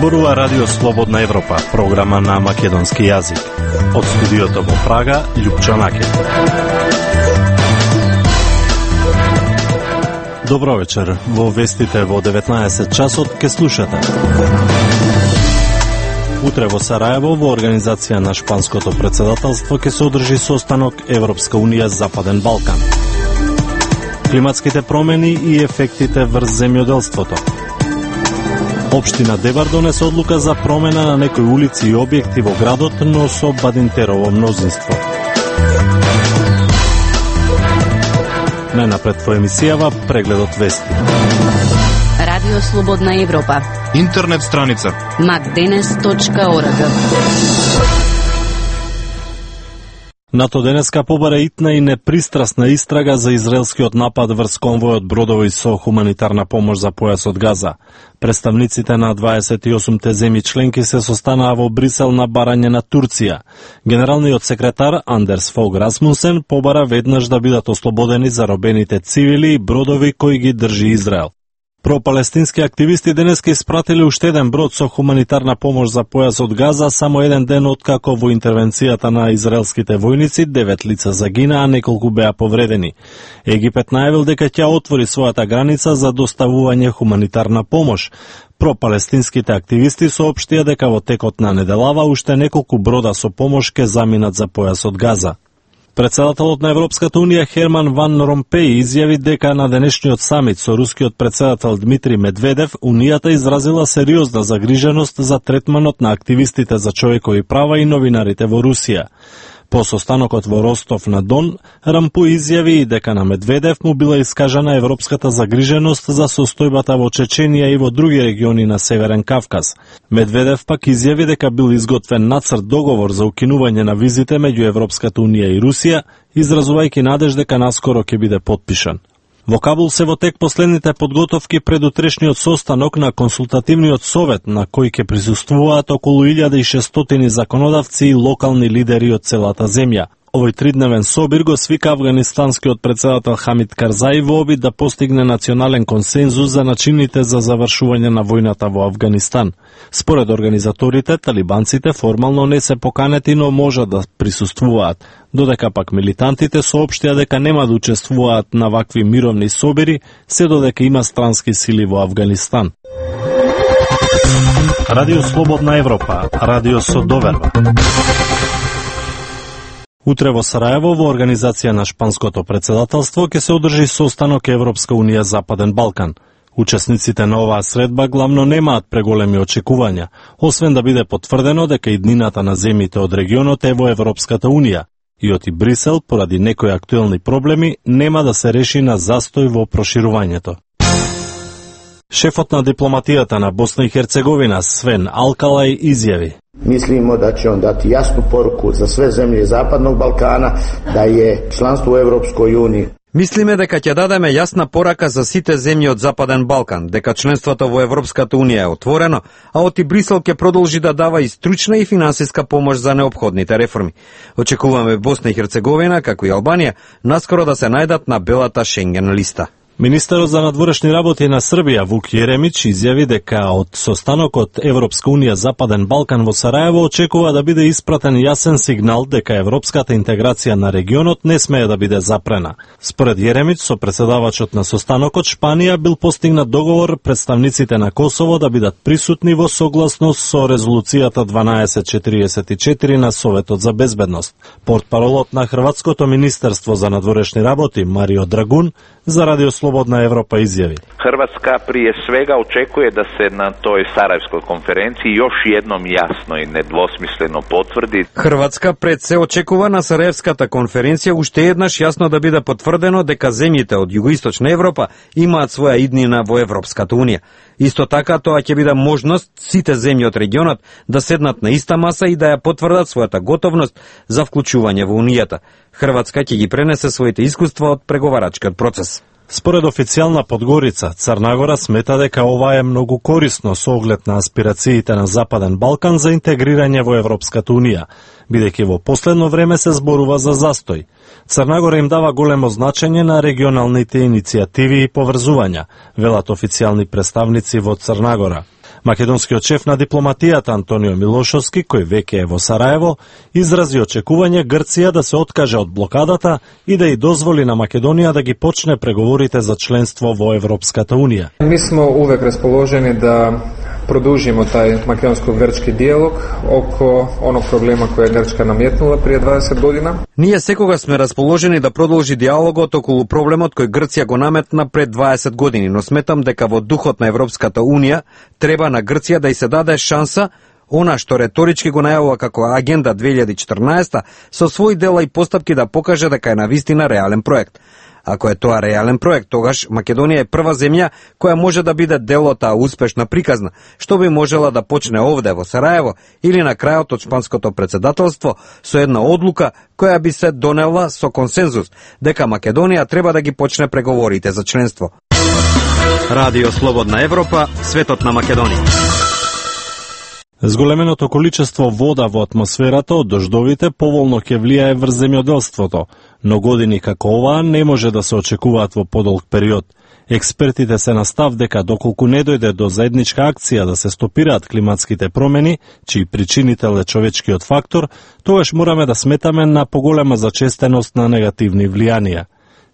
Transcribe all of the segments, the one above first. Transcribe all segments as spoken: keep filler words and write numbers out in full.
Зборува Радио Слободна Европа, програма на македонски јазик. Од студиото во Прага, Љупчо Накет. Добро вечер. Во вестите во деветнаесет часот ке слушате. Утре во Сараево, во организација на шпанското председателство, ке се одржи состанок Европска унија Западен Балкан. Климатските промени и ефектите врз земјоделството. Општина Дебар донесе одлука за промена на некои улици и објекти во градот, но со Бадинтерово мнозинство. Најнапред во емисијава прегледот вести. Радио Слободна Европа. Интернет страница макденес точка орг. НАТО денеска побара итна и непристрасна истрага за израелскиот напад врз конвојот бродови со хуманитарна помош за појасот Газа. Представниците на дваесет и осумте земји членки се состанаа во Брисел на барање на Турција. Генералниот секретар Андерс Фог Расмусен побара веднаш да бидат ослободени заробените цивили и бродови кои ги држи Израел. Пропалестински активисти денеска испратили уште еден брод со хуманитарна помош за појасот Газа само еден ден откако во интервенцијата на израелските војници девет лица загинаа, а неколку беа повредени. Египет најавил дека ќе отвори својата граница за доставување хуманитарна помош. Пропалестинските активисти соопштија дека во текот на неделава уште неколку брода со помош ке заминат за појасот Газа. Председателот на Европската унија Херман Ван Ромпеј изјави дека на денешниот самит со рускиот председател Дмитрий Медведев унијата изразила сериозна загриженост за третманот на активистите за човекови права и новинарите во Русија. По состанокот во Ростов на Дон, Рампуј изјави и дека на Медведев му била искажана европската загриженост за состојбата во Чеченија и во други региони на Северен Кавказ. Медведев пак изјави дека бил изготвен нацрт договор за укинување на визите меѓу Европската унија и Русија, изразувајќи надеж дека наскоро ќе биде потпишан. Во Кабул се во тек последните подготовки пред утрешниот состанок на консултативниот совет на кој ќе присуствуваат околу илјада и шестстотини законодавци и локални лидери од целата земја. Овој тридневен собир го свика афганистанскиот председател Хамид Карзаи во обид да постигне национален консензус за начините за завршување на војната во Афганистан. Според организаторите, талибанците формално не се поканети, но можат да присуствуваат, додека пак милитантите соопштија дека нема да учествуваат на вакви мировни собири, се додека има странски сили во Афганистан. Радио Слободна Европа, радио со доверба. Утре во Сараево, во организација на шпанското председателство, ќе се одржи состанок Европска унија Западен Балкан. Учесниците на оваа средба главно немаат преголеми очекувања, освен да биде потврдено дека иднината на земјите од регионот е во Европската унија. И оти Брисел, поради некои актуелни проблеми, нема да се реши на застој во проширувањето. Шефот на дипломатијата на Босна и Херцеговина, Свен Алкалај, изјави: Мислимо да ќе он дати јасну поруку за све земји Западnog Балкана да е членство во Европској унија. Мислиме дека ќе дадеме јасна порака за сите земји од Западен Балкан, дека членството во Европската унија е отворено, а оти Брисел ќе продолжи да дава и стручна и финансиска помош за неопходните реформи. Очекуваме Босна и Херцеговина, како и Албанија, наскоро да се најдат на белата Шенген листа. Министерот за надворешни работи на Србија Вук Јеремич изјави дека од состанокот Европска унија Западен Балкан во Сараево очекува да биде испратен јасен сигнал дека европската интеграција на регионот не смее да биде запрена. Според Јеремич, со претседавачот на состанокот Шпанија бил постигнат договор представниците на Косово да бидат присутни во согласност со резолуцијата дванаесет четириесет и четири на Советот за безбедност. Портпаролот на Хрватското министерство за надворешни работи Марио Драгун за Радио Слободна Европа изјави: Хрватска прije svega očekuje da se na toj Sarajevskoj konferenciji još jednom jasno i nedvosmisleno potvrdi. Хрватска пред се очекува на Сараевската конференција уште еднаш јасно да биде потврдено дека земјите од југоисточна Европа имаат своја иднина во Европската унија. Исто така тоа ќе биде можност сите земји од регионот да седнат на иста маса и да ја потврдат својата готовност за вклучување во унијата. Хрватска ќе ги пренесе своите искуства од преговарачкиот процес. Според официјална Подгорица, Црнагора смета дека ова е многу корисно со оглед на аспирациите на Западен Балкан за интегрирање во Европската унија, бидејќи во последно време се зборува за застој. Црнагора им дава големо значење на регионалните иницијативи и поврзувања, велат официјални представници во Црнагора. Македонскиот шеф на дипломатијата Антонио Милошовски, кој веќе е во Сараево, изрази очекување Грција да се откаже од блокадата и да и дозволи на Македонија да ги почне преговорите за членство во Европската Унија. Mi smo uvek raspoloženi da produžimo taj makedonsko-grčki dijalog oko onog problema koje je Grčka nametnula prije dvadeset godina. Ние секогаш сме расположени да продолжи диалогот околу проблемот кој Грција го наметна пред дваесет години, но сметам дека во духот на Европската Унија треба на Грција да и се даде шанса она што реторички го најавува како Агенда две илјади и четрнаесета со своји дела и постапки да покаже дека е навистина реален проект. Ако е тоа реален проект, тогаш Македонија е прва земја која може да биде дел од таа успешна приказна, што би можела да почне овде во Сараево или на крајот од шпанското председателство со една одлука која би се донела со консензус дека Македонија треба да ги почне преговорите за членство. Радио Слободна Европа, светот на Македонија. Зголеменото количество вода во атмосферата од дождовите поволно ќе влијае врз земјоделството, но години како оваа не може да се очекуваат во подолг период. Експертите се на став дека доколку не дојде до заедничка акција да се стопираат климатските промени, чиј причинител е човечкиот фактор, тогаш мораме да сметаме на поголема зачестеност на негативни влијанија.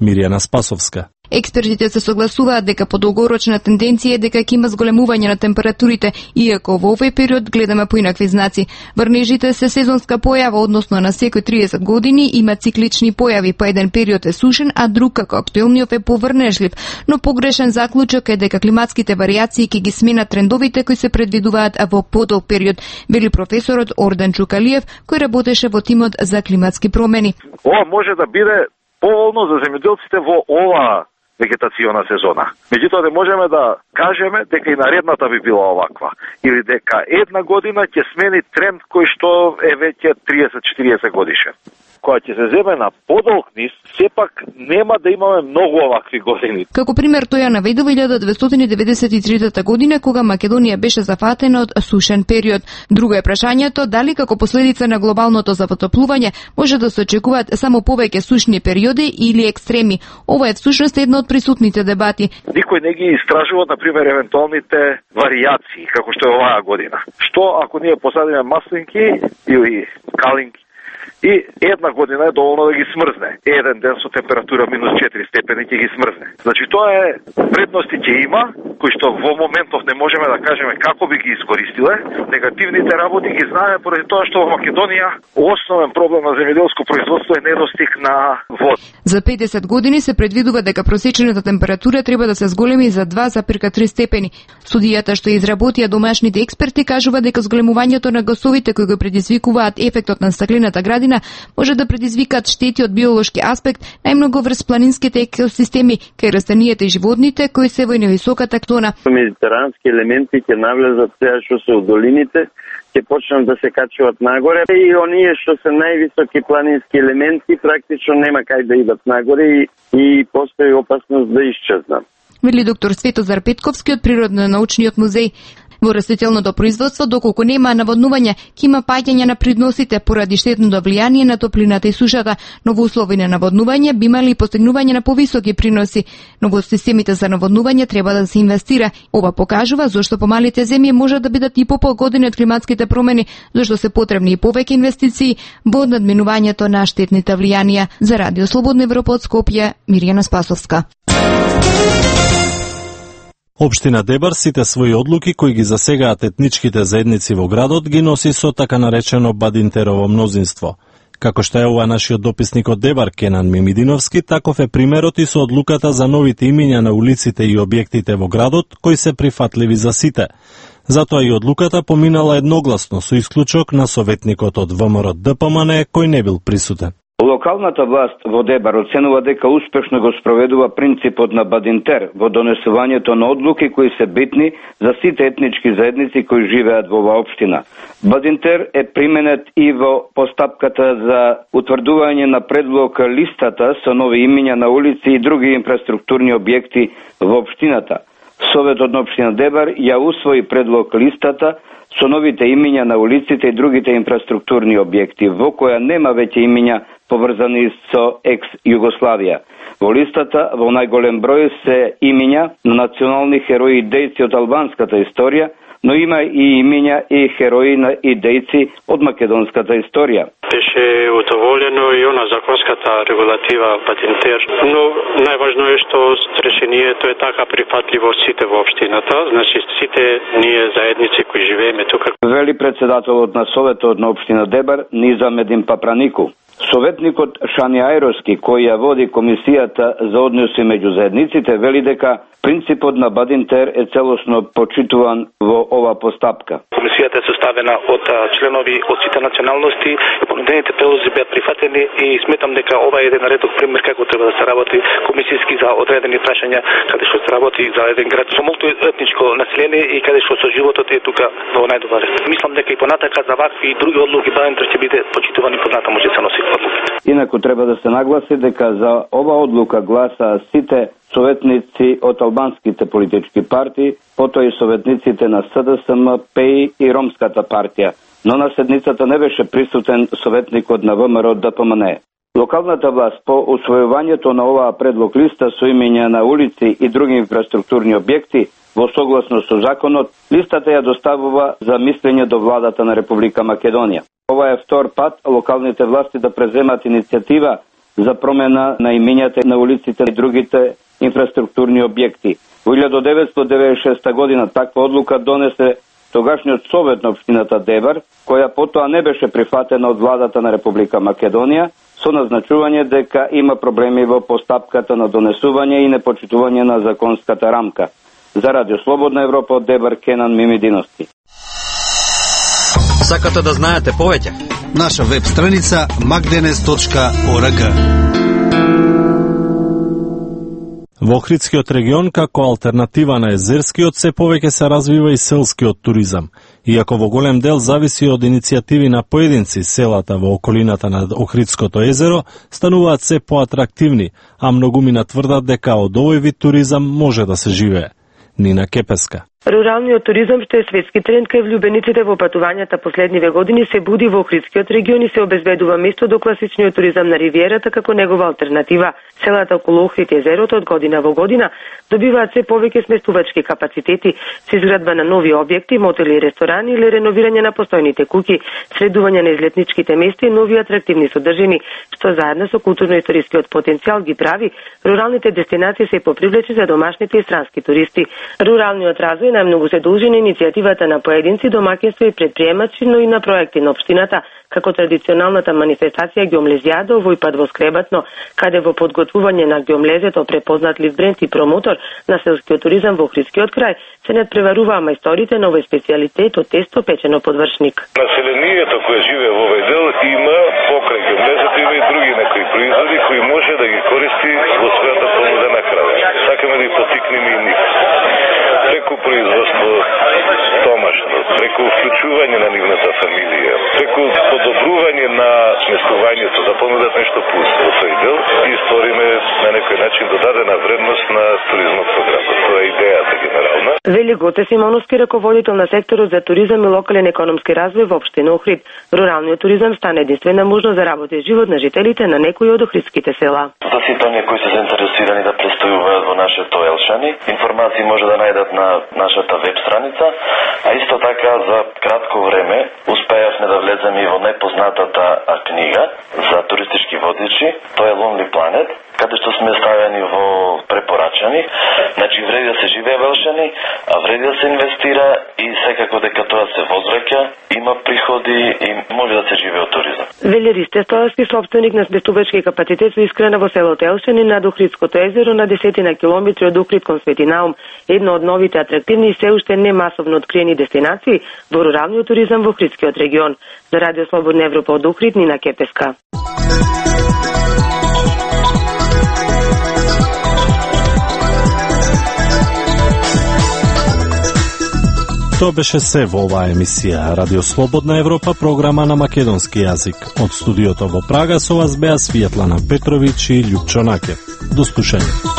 Мирјана Спасовска. Експертите се согласуваат дека подолгорочна тенденција е дека ќе има зголемување на температурите, иако во овој период гледаме поинакви знаци. Врнежите се сезонска појава, односно на секој триесет години има циклични појави, па еден период е сушен, а друг како актуелниот е поврнежлив. Но погрешен заклучок е дека климатските варијации ќе ги сменат трендовите кои се предвидуваат во подолг период, вели професорот Ордан Чукалиев, кој работеше во тимот за климатски промени. Ова може да биде поволно за земјоделците во оваа вегетациона сезона. Меѓутоа не можеме да кажеме дека и наредната би била оваква или дека една година ќе смени тренд кој што е веќе триесет-четириесет годишен. Кога ќе се земе на подолг низ, сепак нема да имаме многу овакви години. Како пример тој ја наведе во илјада деветстотини деветдесет и трета година кога Македонија беше зафатена од сушен период. Друго е прашањето дали како последица на глобалното затоплување може да се очекуваат само повеќе сушни периоди или екстреми. Ова е всушност едно од присутните дебати. Никој не ги истражува, на пример, евентуалните варијации како што е оваа година. Што ако ние посадиме маслинки или калинки и една година е доволно да ги смрзне. Еден ден со температура минус четири степени ќе ги смрзне. Значи тоа е предности ќе има, кои што во моментов не можеме да кажеме како би ги искористиле. Негативните работи ги знаеме поради тоа што во Македонија основен проблем на земјоделско производство е недостиг на вода. За педесет години се предвидува дека просечената температура треба да се зголеми за два запирка три степени. Студијата што изработија домашните експерти кажува дека зголемувањето на гасовите кои го предизвикуваат ефектот на стаклената градина може да предизвикаат штети од биолошки аспект, најмногу врз планинските екосистеми, кај растенијата и животните кои се во невисоката зона. Медитерански елементи ќе навлезат сега што се од долините, ќе почнат да се качуваат нагоре и оние што се највисоки планински елементи практично нема кај да идат нагоре и, и постои опасност да исчезнат. Вели доктор Светозар Петковски од Природно-научниот музеј. Во растителното производство, доколку нема наводнување, ќе има паѓање на придносите поради штетното влијание на топлината и сушата, но во услови на наводнување би имали постигнување на повисоки приноси, но во системите за наводнување треба да се инвестира. Ова покажува зошто помалите земји може да бидат и попогодени од климатските промени, зашто се потребни и повеќе инвестиции во надминувањето на штетните влијанија. За Радио Слободна Европа од Скопје, Мирјана Спасовска. Општина Дебар сите своји одлуки кои ги засегаат етничките заедници во градот ги носи со така наречено бадинтерово мнозинство. Како што е ова нашиот дописник од Дебар Кенан Мимидиновски, таков е примерот и со одлуката за новите имиња на улиците и објектите во градот кои се прифатливи за сите. Затоа и одлуката поминала едногласно со исклучок на советникот од ВМРО Д П М Н кој не бил присутен. Локалната власт во Дебар оценува дека успешно го спроведува принципот на Бадинтер во донесувањето на одлуки кои се битни за сите етнички заедници кои живеат во оваа општина. Бадинтер е применет и во постапката за утврдување на предлог листата со нови имиња на улици и други инфраструктурни објекти во општината. Советот на општина Дебар ја усвои предлог листата со новите имиња на улиците и другите инфраструктурни објекти, во која нема веќе имиња поврзани со екс-Југославија. Во листата во најголем број се имиња на национални херои и дејци од албанската историја, но има и имиња и херои на идејци од македонската историја. Беше удоволено и она законската регулатива Бадинтер, но најважно е што решението е така прифатливо сите во општината, значи сите ние заедници кои живееме тука. Вели председателот на Советот на општина Дебар Низам Един Папранику. Советникот Шани Ајроски, кој ја води комисијата за односи меѓу заедниците, вели дека принципот на Бадинтер е целосно почитуван во ова постапка. Комисијата е составена од членови од сите националности, понудените предлози беа прифатени и сметам дека ова е еден редок пример како треба да се работи комисијски за одредени прашања, каде што се работи за еден град со мултиетничко население и каде што со животот е тука во најдобар ред. Мислам дека и понатака за вакви и други одлуки Бадинтер ќе биде почитуван и понатаму ќе се носи одлуките. Инаку треба да се нагласи дека за ова одлука гласа сите советници од албанските политички партии, потоа и советниците на С Д С М, П И и Ромската партија, но на седницата не беше присутен советникот на В М Р Д П М Н Е. Локалната власт по усвојувањето на оваа предлог листа со имиња на улици и други инфраструктурни објекти во согласно со законот, листата ја доставува за мислење до владата на Република Македонија. Ова е втор пат локалните власти да преземат иницијатива за промена на имињата на улиците и другите инфраструктурни објекти. Во илјада деветстотини деведесет и шеста година таква одлука донесе тогашниот совет на општината Дебар, која потоа не беше прифатена од владата на Република Македонија, со назначување дека има проблеми во постапката на донесување и непочитување на законската рамка. За Радио Слободна Европа од Дебар, Кенан Мимидиности. Сакате да знаете повеќе? Наша веб страница макденес точка орг. Во Охридскиот регион, како алтернатива на езерскиот, се повеќе се развива и селскиот туризам. Иако во голем дел зависи од иницијативи на поединци, селата во околината на Охридското езеро стануваат се поатрактивни, а многумина тврдат дека од овој вид туризам може да се живее. Нина Кепеска. Руралниот туризам, што е светски тренд кај влюбениците во патувањата последниве години, се буди во Охридскиот регион и се обезбедува место до класичниот туризам на ривиерата како негова алтернатива. Селата околу Охрид и езерото од година во година добиваат се повеќе сместувачки капацитети, со изградба на нови објекти, мотели и ресторани или реновирање на постојните куќи, средување на излетничките места и нови атрактивни содржини, што заедно со културно-историскиот потенцијал ги прави руралните дестинации се попривлечи за домашните и странски туристи. Руралниот развој најмногу се должи на иницијативата на поединци, домаќинства и предприемачи, но и на проекти на општината, како традиционалната манифестација Ѓомлезијада овој пат во Скребатно, каде во подготвување на ѓомлезето препознатлив бренд и промотор на селскиот туризам во Охридскиот крај се надпреваруваа мајсторите на овој специјалитет од тесто печено под вршник. Населението кое живее во овој дел има покрај ѓомлезето има и други некои производи кои може да ги користи во својата понудена храна. Сакаме да ги потикнеме и нив. Преку производство домашно, преку вклучување на нивната фамилија, преку подобрување на сместувањето, да понудат нешто плюс во тој дел и сториме на некој начин додадена вредност на туризмот програмот. Тоа е идејата генерална. Вели Гоце Симоновски, раководител на секторот за туризам и локален економски развој во општина Охрид. Руралниот туризам стана единствена можност за работа и живот на жителите на некои од охридските села. За сите оние кои се заинтересирани да престојуваат во нашето Елшани, информации може да најдат на нашата веб страница, а исто така за кратко време успеавме да влеземе и во непознатата книга за туристички водичи, тоа е Lonely Planet, каде што сме ставени во препорачани. Значи вреди да се живее во Елшани, а вреди да се инвестира и секако дека тоа се возвраќа, има приходи и може да се живее од туризам. Вели Ристе Стоевски, собственик на сместувачки капацитет со искрена во селото Елшани над Охридското езеро на десетина километри од Охрид кон Свети Наум, едно од новите атрактивни и се уште не масовно откриени дестинации во руралниот туризам во Охридскиот регион. За Радио Слободна Европа од Охрид, Нина Кепеска. Тоа беше се во оваа емисија Радио Слободна Европа, програма на македонски јазик. Од студиото во Прага со вас беа Светлана Петровиќ и Љупчо Накев. До слушање.